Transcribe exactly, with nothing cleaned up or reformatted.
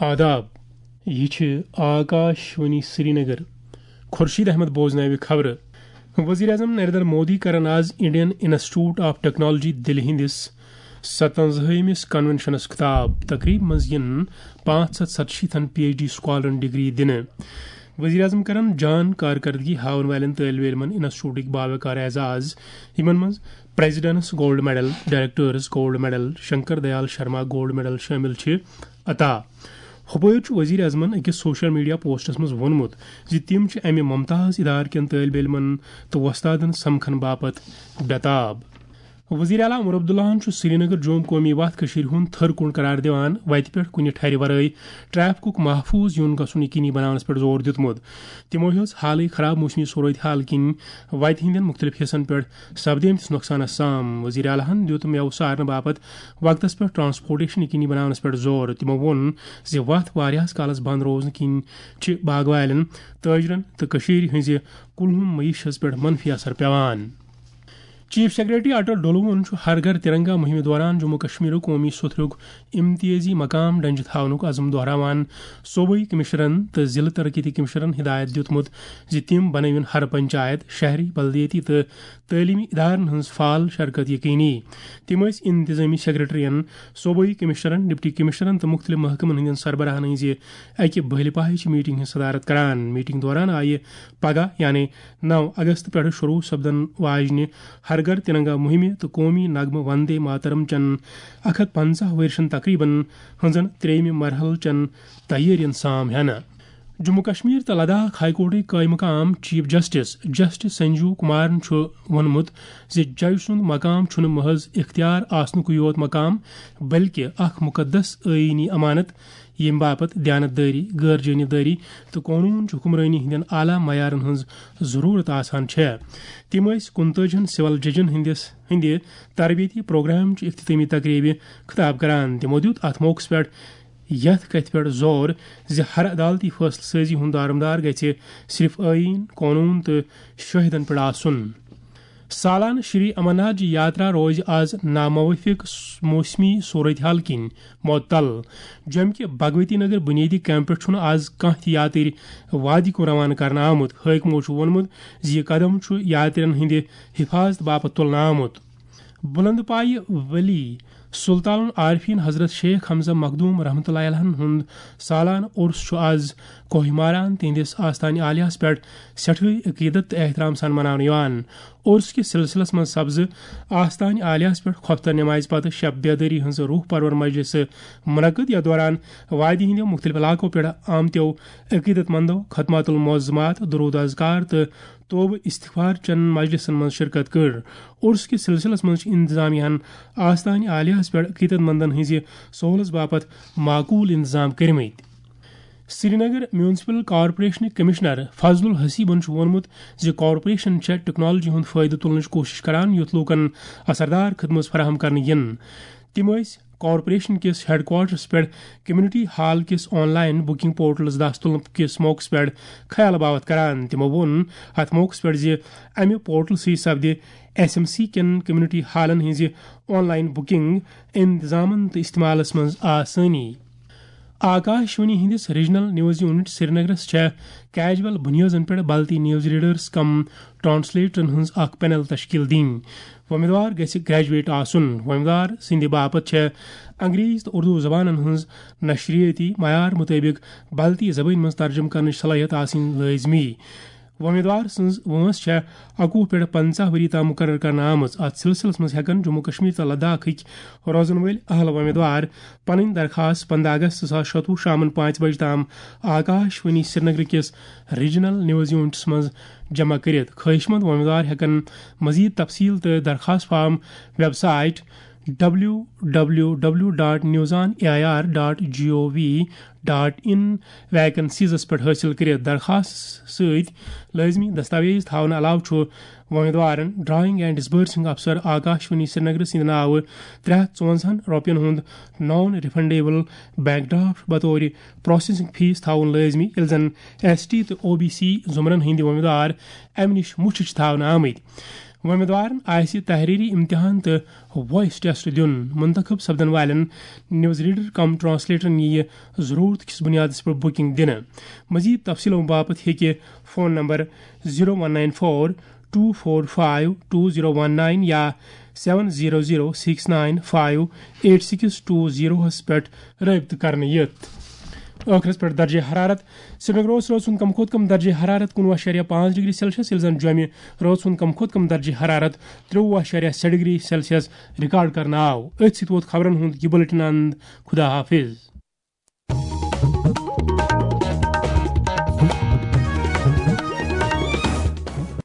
آداب، یہِ چھِ آکاش وانی سرینگر۔ خورشید احمد بوزناوِ خبرٕ۔ وزیر اعظم نریندر مودی کرن آز انڈین انسٹیٹیوٹ آف ٹیکنالوجی دِلہِ ہٕنٛدِس ستونزٲہِمِس کنونشنس خطاب۔ تقریب منٛز یِن پانٛژھ ہتھ ستشیٖتھن پی ایچ ڈی سکالرن ڈگری دِنہٕ۔ وزیر اعظم کرن جان کارکردگی ہاون والٮ۪ن طٲلبِ علمن انسٹیٹیوٹٕکۍ باوقار اعزاز، یِمن منٛز president's gold medal, director's gold medal, Shankar Dayal Sharma gold medal شٲمِل چھِ، عطا۔ ہُپٲرۍ چھُ وزیر اعظمن أکِس سوشل میڈیا پوسٹس منٛز ووٚنمُت زِ تِم چھِ امہِ ممتاز ادارٕ کٮ۪ن طٲلبِ علمن تہٕ وۄستادن سمکھن باپتھ بےٚتاب۔ وزیر اعلیٰ عمر عبداللہن چھُ سرینگر جوم قومی وتھ کٔشیٖرِ ہُنٛد تھٔر کُن قرار دِوان وتہِ پٮ۪ٹھ کُنہِ ٹھرِ ورٲے ٹریفکُک محفوظ یُن گژھُن یقینی بناونس پٮ۪ٹھ زور دیُتمُت۔ تِمو ہیوٚژ حالٕے خراب موسمی صورتحال کِنۍ وتہِ ہٕنٛدٮ۪ن مُختٔلِف حصن پٮ۪ٹھ سپدیمتِس نۄقصانس سام۔ وزیر اعلیٰ ہن دیُت مٮ۪وٕ سارنہٕ باپتھ وقتس پٮ۪ٹھ ٹرانسپورٹیشن یقینی بناونس پٮ۪ٹھ زور۔ تِمو ووٚن زِ وتھ واریاہس کالس بند روزنہٕ کِنۍ چھِ باغوالٮ۪ن، تٲجرن تہٕ کٔشیٖرِ ہٕنٛزِ کُلہُم معیشس پٮ۪ٹھ منفی اثر پٮ۪وان۔ چیف سیکرٹری اٹل ڈولوہن چھُ ہر گھر ترنگا مہمہِ دوران جموں کشمیرُک قومی ستھرُک امتیازی مقام ڈنجہِ تھاونُک عزم دہراوان صوبٲئی کمشنرن تہٕ ضلع ترقیتی کمشنرن ہدایت دیُتمُت زِ تِم بنٲوِن ہر پنچایت، شہری، بلدیٲتی تہٕ تعلیمی ادارن ہٕنٛز فعال شرکت یقینی۔ تِم ٲسۍ انتظامی سیکرٹرین، صوبٲئی کمشنرن، ڈپٹی کمشنرن تہٕ مُختٔلِف محکمن ہٕنٛدٮ۪ن سربراہن ہٕنٛزِ اکہِ بٔلۍ پاہٕچ میٹنگ ہٕنٛز صدارت کران۔ میٹنگ دوران آیہِ پگاہ یعنی نو اگست پٮ۪ٹھٕ شروع سپدن واجنہِ ہر گھر ترنگا مہمہِ تہٕ قومی نغمہٕ وندے ماترم چٮ۪ن اکھ ہتھ پنژاہ ؤرشن تقریبن ہٕنٛزن ترٛیٚیمہِ مرحلہٕ چٮ۪ن تیٲرین سام ہٮ۪نہٕ۔ جموں کشمیر تہٕ لداخ ہائی کورٹٕکۍ قٲیمہٕ مقام chief justice, justice Sanjeev Kumaran چھُ ووٚنمُت زِ جج سُنٛد مقام چھُنہٕ محض اختیار آسنُکُے یوت مقام، بلکہِ اکھ مقدس آئینی امانت، ییٚمہِ باپتھ دیانت دٲری، غٲر جٲنبدٲری تہٕ قونوٗن چہِ حکمرٲنی ہٕنٛدٮ۪ن اعلیٰ معیارن ہٕنٛز ضروٗرت آسان چھےٚ۔ تِم ٲسۍ کُنتٲجِہن سول ججن ہٕنٛدِس، ہٕنٛدِ تربیتی پروگرام چہِ اختتامی تقریبہِ خطاب کران۔ تِمو دیُت اتھ موقعس پٮ۪ٹھ یتھ کتھِ پٮ۪ٹھ زور زِ ہر عدالتی فٲصلہٕ سٲزی ہُنٛد دارمدار گژھِ صرف آئین، قونوٗن تہٕ شٲہدن پٮ۪ٹھ آسُن۔ سالانہٕ شری امرناتھ جی یاترا روزِ آز ناموافق موسمی صورتحال کِنۍ معطل۔ جوٚمہِ کہِ بھگوتی نگر بنیٲدی کیمپ پٮ۪ٹھ چھُنہٕ آز کانٛہہ تہِ یاترۍ وادی کُن روانہٕ کرنہٕ آمُت۔ حٲکمو چھُ ووٚنمُت زِ یہِ قدم چھُ یاترین ہٕنٛدِ حفاظتہٕ باپتھ تُلنہٕ آمُت۔ بلند پایہِ ولی سلطان العارفین حضرت شیخ حمزہ مخدوم رحمتہ اللہ علیہ ہُنٛد سالانہٕ عرس چھُ آز کوہ ماران تِہنٛدِس آستانہِ عالیہس پٮ۪ٹھ سٮ۪ٹھٲے عقیدت تہٕ احترام سان مناونہٕ یِوان۔ عرس کِس سلسلس منٛز سپزٕ آستانہِ عالیہس پٮ۪ٹھ خۄفتن نمازِ پتہٕ شب بیدٲری ہٕنٛز روح پرور مجلسہٕ منعقد، یتھ دوران وادی ہٕنٛدیو مُختٔلِف علاقو پٮ۪ٹھ آمتیو عقیدت مندو ختمات المعظمات، درود اذکار تہٕ توبہٕ استغفار چٮ۪ن مجلسن منٛز شرکت کٔر۔ عرس کِس سلسلس منٛز چھِ انتظامیہ ہن آستانہِ عالیہس پٮ۪ٹھ عقیدت مندن ہٕنٛزِ سہولژ باپتھ معقول انتظام کٔرمٕتۍ۔ سرینگر میونسپل کارپوریشنٕکۍ کمشنر فضل الحسیبن چھُ ووٚنمُت زِ کارپوریشن چھےٚ ٹیکنالوجی ہُنٛد فٲیدٕ تُلنٕچ کوٗشش کران، یُتھ لوٗکن اثردار خدمت فراہم کرنہٕ یِن۔ تِم ٲسۍ کارپوریشن کِس ہیڈ کوارٹرس پٮ۪ٹھ کمیونٹی ہال کِس آن لائن بکنگ پورٹلس دستُل کِس موقعس پٮ۪ٹھ خیال باوتھ کران۔ تِمو ووٚن اتھ موقعس پٮ۪ٹھ زِ امہِ پورٹل سۭتۍ سپدِ ایس ایم سی کٮ۪ن کمیونٹی ہالن ہٕنٛزِ آن لائن بکنگ، انتظامن تہٕ استعمالس منٛز آسٲنی۔ آکاش وانی ہٕنٛدِس ریجنل نیوز یونٹ سرینگرس چھےٚ کیجول بنیٲدن پٮ۪ٹھ بلتی نیوز ریڈرز کم ٹرانسلیٹرن ہٕنٛز اکھ پینل تشکیل دِنۍ۔ وۄمیدوار گژھِ گریجویٹ آسُن۔ وۄمیدوار سٕنٛدِ باپتھ چھےٚ انگریزی تہٕ اردو زبانن ہٕنٛز نشریٲتی معیار مُطٲبِق بلتی زبٲنۍ منٛز ترجمہٕ کرنٕچ صلٲحیت آسٕنۍ لٲزمی۔ وۄمیدوار سٕنٛز وٲنٛس چھےٚ اَکوُہ پٮ۪ٹھ پنٛژاہ ؤری تام مُقرر کرنہٕ آمٕژ۔ اَتھ سلسلس منٛز ہٮ۪کن جموں کشمیر تہٕ لداخٕکۍ روزن وٲلۍ اہل وۄمیدوار پنٕنۍ درخاست پنٛداہ اگست زٕ ساس شَتوُہ شامن پانٛژِ بجہِ تام آکاش وانی سرینگر کِس ریجنل نیوز یونٹس منٛز جمع کٔرِتھ۔ خٲہِش مند وۄمیدوار ہٮ۪کن مزید تفصیل تہٕ درخاست form website W W W dot news on A I R dot G O V dot in ویکنسیزس پٮ۪ٹھ حٲصِل کٔرِتھ۔ درخاست سۭتۍ لٲزمی دستاویز تھاونہٕ علاوٕ چھُ وۄمیدوارن ڈرائنگ اینڈ ڈسبرسنگ افسر آکاش وانی سرینگر سٕنٛدِ ناوٕ ترٛےٚ ہتھ ژُوَنزاہن رۄپین ہُنٛد نان ریفنڈیبل بینک ڈرافٹ بطور پروسیسنگ فیس تھاوُن لٲزمی، ییٚلہِ زن ایس ٹی تہٕ او بی سی زمرن ہٕنٛدۍ وۄمیدوار امہِ نِش مُچھِ چھِ تھاونہٕ آمٕتۍ۔ وۄمیدوارن آسہِ تحریری امتحان تہٕ وائس ٹیسٹ دیُن۔ منتخب سپدن والٮ۪ن نیوز ریڈر کم ٹرانسلیٹرن ییہِ ضرورت کِس بنیادس پٮ۪ٹھ بکنگ دِنہٕ۔ مزید تفصیلو باپتھ ہیٚکہِ phone number zero one nine four two four five two zero one nine یا seven zero zero six nine five eight six two zero ہس پٮ۪ٹھ رٲبطہٕ کرنہٕ یِتھ۔ ٲخرس پٮ۪ٹھ درجہ حرارت۔ سرینگرس رٲژ ہُنٛد کم کھۄتہٕ کم درجہ حرارت کُنوُہ اَشاریہ پانٛژھ ڈگری سیلسیس، ییٚلہِ زن جوٚمہِ رٲژ ہُنٛد کم کھۄتہٕ کم درجہ حرارت ترٛوٚوُہ اَشاریہ شےٚ ڈگری سیلسیس ریکارڈ کرنہٕ آو۔ أتھۍ سۭتۍ ووت خبرن ہُنٛد یہِ بُلٹن اند۔ خدا حافظ۔